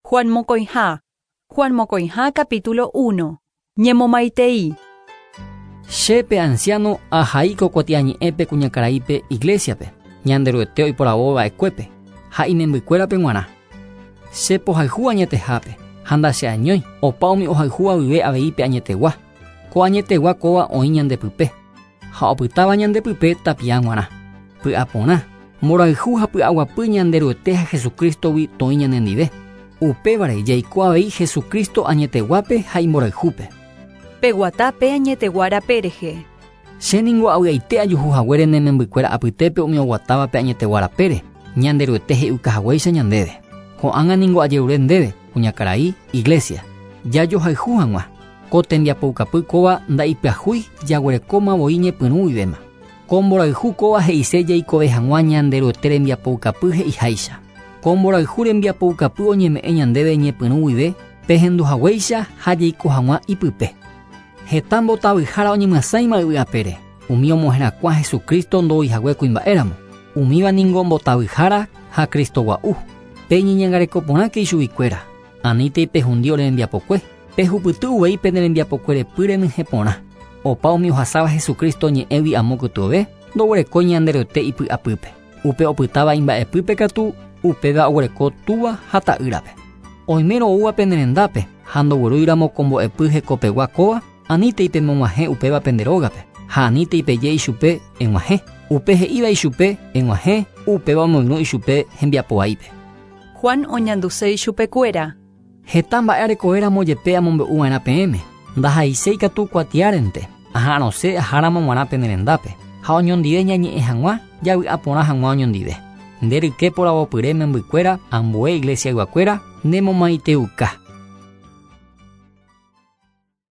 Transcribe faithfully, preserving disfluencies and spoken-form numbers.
Juan mokõiha. Juan mokõiha capítulo uno. Ñemomaitei. Che pe anciano ahai ko kuatiañe'ẽpe kuñakaraípe iglesiape, Ñanderuete oiporavo va'ekuépe, ha imembykuérape g̃uarã. Che pohayhu añetehápe, ha ndacheañói, opa umi ohayhúva guive avei pe añetegua. Ko añetegua kóva oĩ ñandepype, ha opytáva ñandepype tapia g̃uarã. Py'aporã, mborayhu ha py'aguapy Ñanderuete ha Jesucristogui toĩ ñanendive. Upévare jaiko avei Jesucristo añeteguápe ha imborayhúpe. Peguata pe añetegua rape rehe. Che ningo avy'aite ajuhu haguére ne membykuéra apytépe umi oguatáva pe añetegua rapére, Ñanderuete he'iuka haguéicha ñandéve. Ko'ág̃a ningo ajerure ndéve, kuñakarai, iglesia, jajohayhu hag̃ua. Ko tembiapoukapy kóva nda'ipyahúi jaguerekóma voi ñepyrũ guivéma. Ko mborayhu kóva he'ise jaikove hag̃ua Ñanderuete rembiapoukapy he'iháicha. Ko mborayhu rembiapoukapy oñeme'ẽ ñandéve ñepyrũ guive pehendu haguéicha ha jaiko hag̃ua ipype. Heta mbotavyhára oñemyasãima yvy apére, umi omoherakuã Jesucristo ndoihague kuimba'éramo. Umíva ningo mbotavyhára ha Cristo gua'u. Pe ñeñangareko porãke ichuguikuéra. Anítei pehundi ore rembiapokue. Pehupyty uvei pene rembiapokue repy renyhẽ porã. Opa umi ohasáva Jesucristo ñe'ẽgui amo kytuove, ndoguerekói Ñanderuete ipy'apýpe. Upe opytáva imba'epýpe katu, upéva oguereko túva ha ta'ýrape. Oimérõ oúva pene rendápe, ha ndoguerúiramo ko mbo'epy hekopegua kóva, anítei pemog̃uahẽ upéva pende rógape, ha anítei peje ichupe eg̃uahẽ. Upe he'íva ichupe eg̃uahẽ, upéva omoirũ ichupe hembiapo vaípe. Juan oñanduse ichupekuéra. Heta mba'e arekovéramo jepe amombe'uva'erã peẽme, ndahaiséi katu kuatiárente, aha'arõse aháramo g̃uarã pene rendápe, ha oñondive ñañe'ẽ hag̃ua, javy'a porã hag̃ua oñondive. Nde ryke poravopyre membykuéra, ambue iglesiayguakuéra, nemomaiteuka.